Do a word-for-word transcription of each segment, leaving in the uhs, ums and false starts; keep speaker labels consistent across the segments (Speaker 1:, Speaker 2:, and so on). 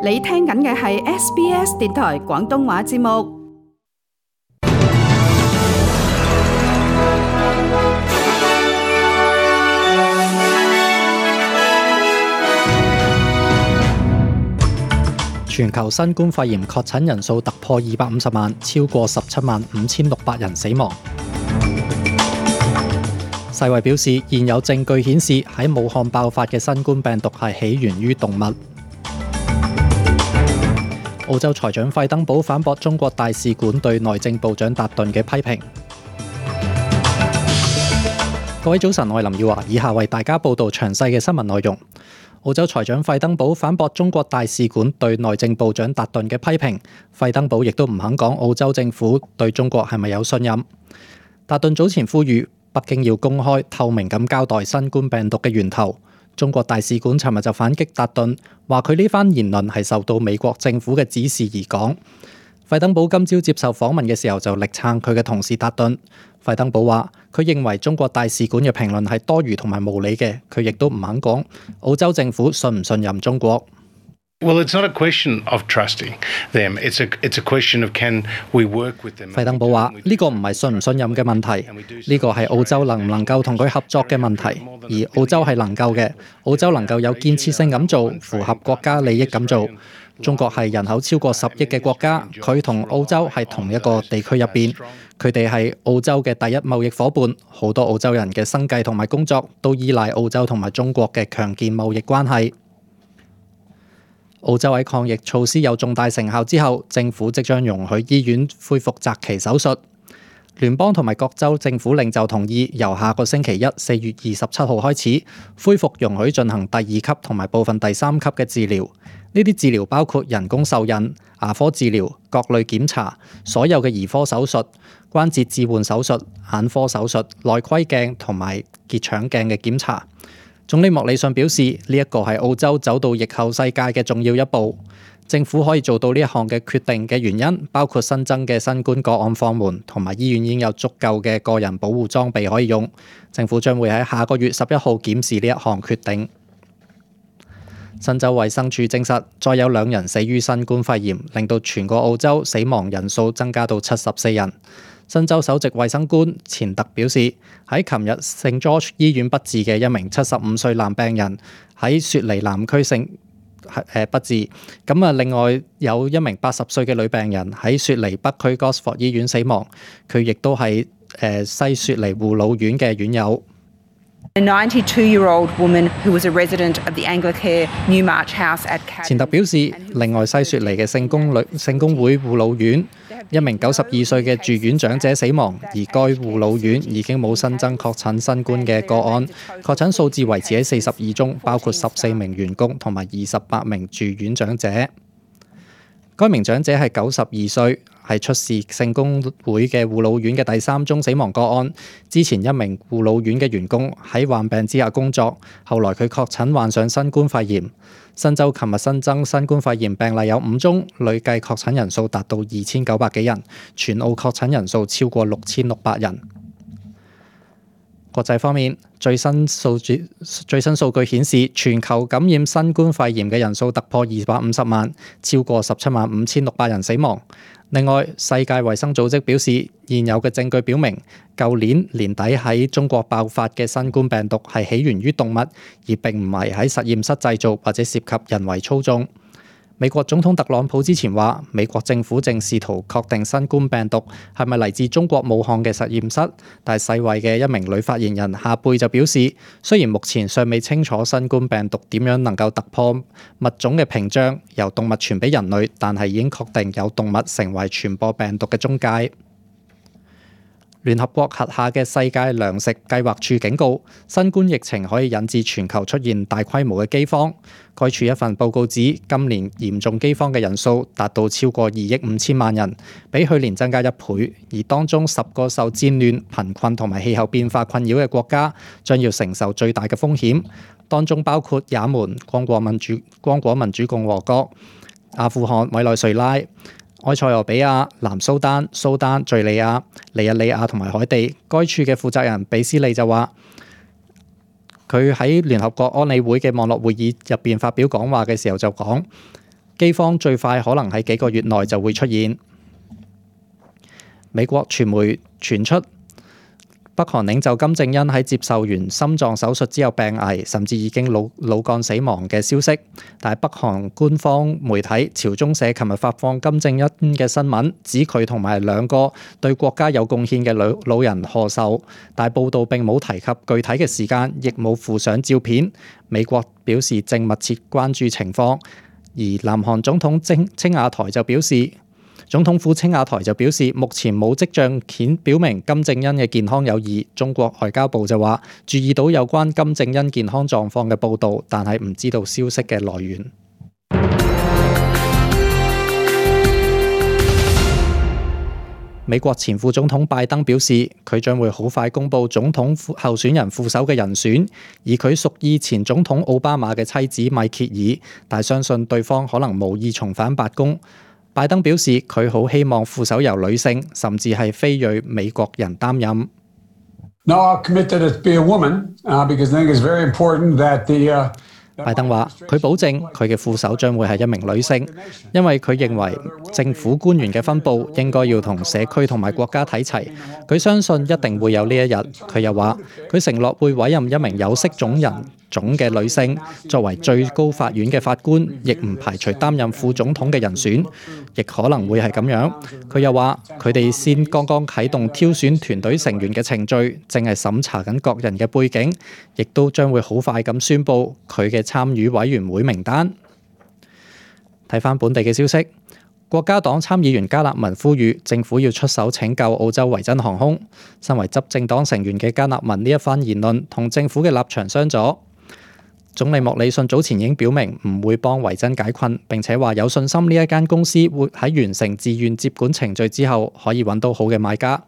Speaker 1: 你聽緊嘅係 S B S 電台廣東話節目。
Speaker 2: 全球新冠肺炎確診人數突破二百五十萬，超過十七萬五千六百人死亡。世衛表示，現有證據顯示喺武漢爆發嘅新冠病毒係起源於動物。澳洲財長費登堡反駁中國大使館對內政部長達頓嘅批評。各位早晨，我係林耀華，以下為大家報道詳細嘅新聞內容。澳洲財長費登堡反駁中國大使館對內政部長達頓嘅批評。費登堡亦都唔肯講澳洲政府對中國係咪有信任。達頓早前呼籲北京要公開透明咁交代新冠病毒嘅源頭。中國大使館尋日就反擊達頓，話佢呢番言論係受到美國政府嘅指示而講。費登堡今朝接受訪問嘅時候就力撐佢嘅同事達頓。費登堡話佢認為中國大使館嘅評論係多餘同埋無理嘅，佢亦都唔肯講澳洲政府信唔信任中國。
Speaker 3: Well, it's not a question of trusting them. It's a it's a question of can we work with them.
Speaker 2: 費登堡話呢個唔係信唔信任嘅問題，呢個係澳洲能唔能夠同佢合作嘅問題，而澳洲係能夠嘅，澳洲能夠有建設性咁做，符合國家利益咁做。中國係人口超過十億嘅國家，佢同澳洲係同一個地區入邊，佢哋係澳洲嘅第一貿易夥伴，好多澳洲人嘅生計同埋工作都依賴澳洲同埋中國嘅強健貿易關係。澳洲喺抗疫措施有重大成效之後，政府即將容許醫院恢復擇期手術。聯邦同埋各州政府領袖同意，由下個星期一四月二十七號開始，恢復容許進行第二級同埋部分第三級嘅治療。呢啲治療包括人工受孕、牙科治療、各類檢查、所有嘅兒科手術、關節置換手術、眼科手術、內窺鏡同埋結腸鏡嘅檢查。總理莫里遜表示，呢一個係澳洲走到疫後世界嘅重要一步。政府可以做到呢一項嘅決定嘅原因，包括新增嘅新冠個案放緩，同埋醫院已經有足夠嘅個人保護裝備可以用。政府將會喺下個月十一號檢視呢一項決定。新州衛生署證實，再有兩人死於新冠肺炎，令到全個澳洲死亡人數增加到七十四人。新州首席衛生官錢特表示，喺琴日聖 George 醫院不治嘅一名七十五歲男病人喺雪梨南區聖誒不治。咁啊，另外有一名八十歲嘅女病人喺雪梨北區 Gosford 醫院死亡，佢亦都係誒西雪梨護老院嘅院友。
Speaker 4: A ninety-two-year-old woman who was a resident of the Anglicare Newmarch House at Cadden。
Speaker 2: 錢特表示，另外西雪梨嘅聖公女聖公會護老院一名九十二歲嘅住院長者死亡，而該護老院已經冇新增確診新冠嘅個案，確診數字維持喺四十二宗，包括十四名員工同埋二十八名住院長者。該名長者係九十二歲，係出事聖公會嘅護老院嘅第三宗死亡個案。之前一名護老院嘅員工喺患病之下工作，後來佢確診患上新冠肺炎。新州琴日新增新冠肺炎病例有五宗，累計確診人數達到二千九百幾人，全澳確診人數超過六千六百人。國際方面，最新數據最新數據顯示，全球感染新冠肺炎嘅人數突破二百五十萬，超過十七萬五千六百人死亡。另外，世界衛生組織表示，現有嘅證據表明，舊年年底喺中國爆發嘅新冠病毒係起源於動物，而並唔係喺實驗室製造或者涉及人為操縱。美國總統特朗普之前話，美國政府正試圖確定新冠病毒係咪嚟自中國武漢嘅實驗室，但係世衛嘅一名女發言人夏貝就表示，雖然目前尚未清楚新冠病毒點樣能夠突破物種嘅屏障，由動物傳俾人類，但係已經確定有動物成為傳播病毒嘅中介。聯合國轄下嘅世界糧食計劃處警告，新冠疫情可以引致全球出現大規模嘅饑荒。該處一份報告指，今年嚴重饑荒嘅人數達到超過二億五千萬人，比去年增加一倍。而當中十個受戰亂、貧困同埋氣候變化困擾嘅國家，將要承受最大嘅風險。當中包括也門、剛果民主、剛果民主共和國、阿富汗、委內瑞拉、埃塞俄比亞、南蘇丹、蘇丹、敍利亞、尼日利亞同埋海地。該處嘅負責人比斯利就話，佢喺聯合國安理會嘅網絡會議入邊發表講話嘅時候就講，饑荒最快可能喺幾個月內就會出現。美國傳媒傳出北韓領袖金正恩喺接受完心臟手術之後病危，甚至已經腦腦幹死亡嘅消息。但係北韓官方媒體朝中社琴日發放金正恩嘅新聞，指佢同埋兩個對國家有貢獻嘅老老人賀壽，但係報道並冇提及具體嘅時間，亦冇附上照片。美國表示正密切關注情況，而南韓總統青青瓦台就表示。總統府青瓦台就表示，目前冇跡象顯表明金正恩嘅健康有異。中國外交部就話，注意到有關金正恩健康狀況嘅報導，但係唔知道消息嘅來源。美國前副總統拜登表示，佢將會好快公布總統候選人副手嘅人選，而佢屬意前總統奧巴馬嘅妻子米歇爾，但相信對方可能無意重返白宮。拜登表示，佢好希望副手由女性，甚至係非裔美國人擔任。
Speaker 5: No, I'll commit that it be a woman, uh, because I think it's very important that the, uh,
Speaker 2: 拜登話：佢保證佢嘅副手將會係一名女性，因為佢認為政府官員嘅分佈應該要同社區同埋國家睇齊。佢相信一定會有呢一日。佢又話：佢承諾會委任一名有色種人種嘅女性作為最高法院嘅法官，亦唔排除擔任副總統嘅人選，亦可能會係咁樣。佢又話：佢哋先剛剛啟動挑選團隊成員嘅程序，正係審查緊各人嘅背景，亦都將會好快咁宣佈佢嘅參與委員會名單。睇返本地嘅消息，國家黨參議員加納文呼籲政府要出手拯救澳洲維珍航空。身為執政黨成員嘅加納文呢一番言論同政府嘅立場相左。總理莫里遜早前已經表明唔會幫維珍解困，並且話有信心呢一間公司會喺完成自願接管程序之後可以揾到好嘅買家。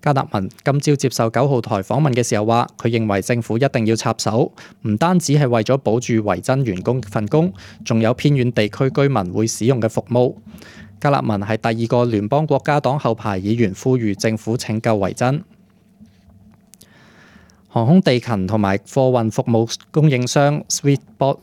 Speaker 2: 加納文今朝接受九號台訪問嘅時候話，佢認為政府一定要插手，唔單止係為咗保住維珍員工份工，仲有偏遠地區居民會使用嘅服務。加納文係第二個聯邦國家黨後排議員，呼籲政府拯救維珍。航空地勤同埋貨運服務供應商 Sweetport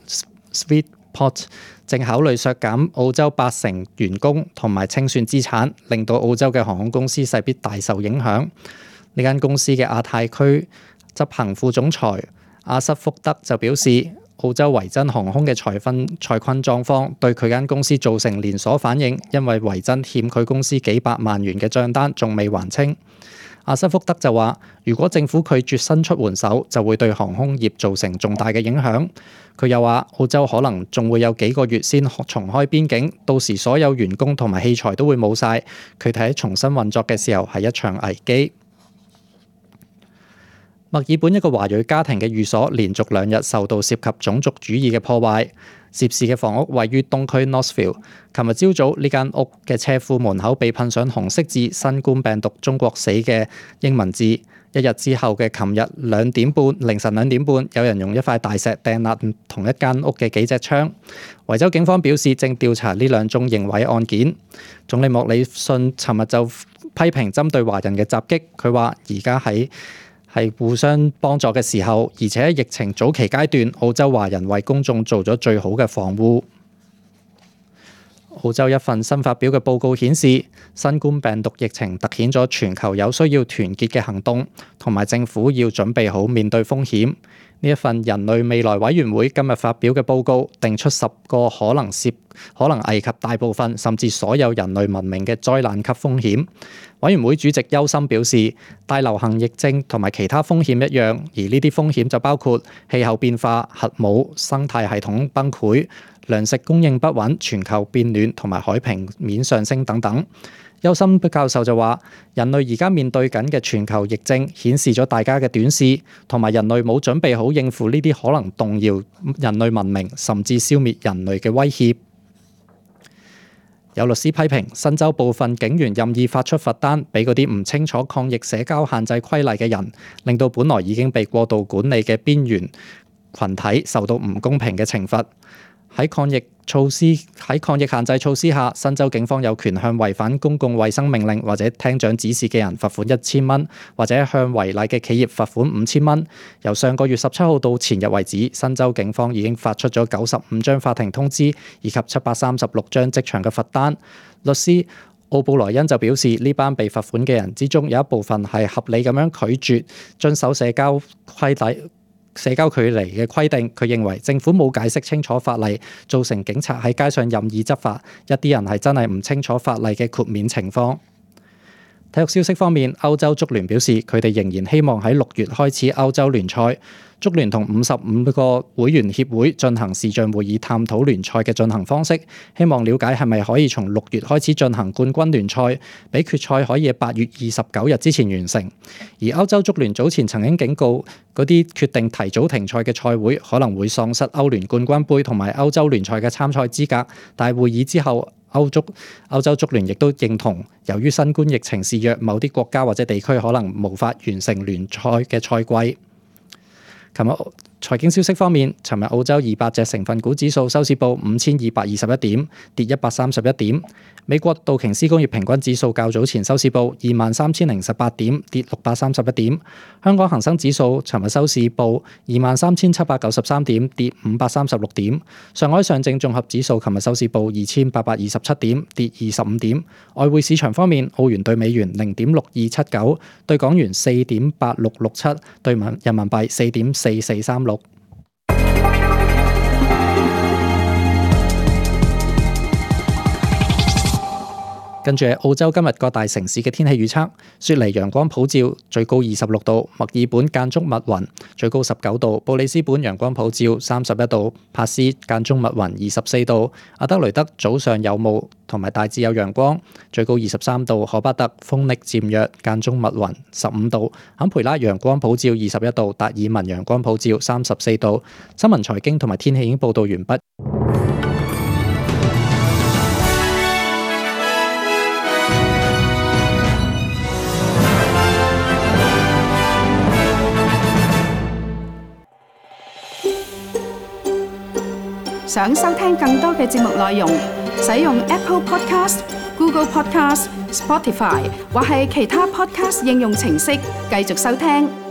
Speaker 2: Sweetport 正考慮削減澳洲八成員工同埋清算資產，令到澳洲嘅航空公司勢必大受影響。呢間公司嘅亞太區執行副總裁阿瑟福德就表示，澳洲維珍航空嘅財困財困狀況對佢間公司造成連鎖反應，因為維珍欠佢公司幾百萬元嘅帳單仲未還清。阿瑟福德就話，如果政府拒絕伸出援手，就會對航空業造成重大嘅影響。佢又話，澳洲可能仲會有幾個月先重開邊境，到時所有員工同埋器材都會冇晒。佢睇重新運作嘅時候係一場危機。墨爾本一個華裔家庭嘅寓所連續兩日受到涉及種族主義嘅破壞。涉事嘅房屋位於東區 Northfield。琴日朝早呢間屋嘅車庫門口被噴上紅色字新冠病毒中國死嘅英文字。一日之後嘅琴日兩點半凌晨兩點半，有人用一塊大石掟爛同一間屋嘅幾隻窗。維州警方表示正調查呢兩宗刑毀案件。總理莫里遜尋日就批評針對華人嘅襲擊，佢話而家喺係互相幫助嘅時候，而且疫情早期階段，澳洲華人為公眾做咗最好嘅防護。澳洲一份新發表嘅報告顯示，新冠病毒疫情突顯咗全球有需要團結嘅行動，同埋政府要準備好面對風險。呢一份人類未來委員會今日發表嘅報告，定出十個可能涉可能危及大部分甚至所有人類文明嘅災難級風險。委員會主席邱森表示，大流行疫症同埋其他風險一樣，而呢啲風險就包括氣候變化、核武、生態系統崩潰、糧食供應不穩、全球變暖同埋海平面上升等等。邱森教授就話，人類而家面對緊嘅全球疫症顯示咗大家嘅短視，同埋人類冇準備好應付呢啲可能動搖人類文明甚至消滅人類嘅威脅。有律師批評新州部分警員任意發出罰單俾嗰啲唔清楚抗疫社交限制規例嘅人，令到本來已經被過度管理嘅邊緣群體受到唔公平嘅懲罰。喺抗疫措施喺抗疫限制措施下，新州警方有權向違反公共衛生命令或者廳長指示嘅人罰款一千蚊，或者向違例嘅企業罰款五千蚊。由上個月十七號到前日為止，新州警方已經發出咗九十五張法庭通知，以及七百三十六張即場嘅罰單。律師奧布萊恩就表示，呢班被罰款嘅人之中，有一部分係合理咁樣拒絕遵守社交規例。社交距離嘅規定，佢認為政府冇解釋清楚法例，造成警察喺街上任意執法。一啲人係真係唔清楚法例嘅豁免情況。體育消息方面，歐洲足聯表示佢哋仍然希望喺六月開始歐洲聯賽。足聯同五十五個會員協會進行視像會議，探討聯賽嘅進行方式，希望了解係咪可以從六月開始進行冠軍聯賽，俾決賽可以喺八月二十九日之前完成。而歐洲足聯早前曾經警告，嗰啲決定提早停賽嘅賽會可能會喪失歐聯冠軍杯同埋歐洲聯賽嘅參賽資格。但係會議之後，歐足歐洲足聯亦都認同，由於新冠疫情肆虐，某啲國家或者地區可能無法完成聯賽嘅賽季。琴日財經消息方面，尋日澳洲二百隻成分股指數收市報五千二百二十一點，跌一百三十一點。美國道瓊斯工業平均指數較早前收市報二萬三千零十八點，跌六百三十一點。香港恒生指數尋日收市報二萬三千七百九十三點，跌五百三十六點。上海上證綜合指數尋日收市報二千八百二十七點，跌二十五點。外匯市場方面，澳元對美元零點六二七九，對港元四點八六六七，對人民幣四點四四三六。跟住係澳洲今日各大城市嘅天氣預測：雪梨陽光普照，最高二十六度；墨爾本間中密雲，最高十九度；布里斯本陽光普照，三十一度；帕斯間中密雲，二十四度；阿德雷德早上有霧同埋大致有陽光，最高二十三度；荷巴特風力漸弱，間中密雲，十五度；坎培拉陽光普照，二十一度；達爾文陽光普照，三十四度。新聞財經同埋天氣已經報道完畢。
Speaker 1: 想收聽更多嘅節目內容，使用 Apple Podcast、Google Podcast、Spotify 或係其他 Podcast 應用程式繼續收聽。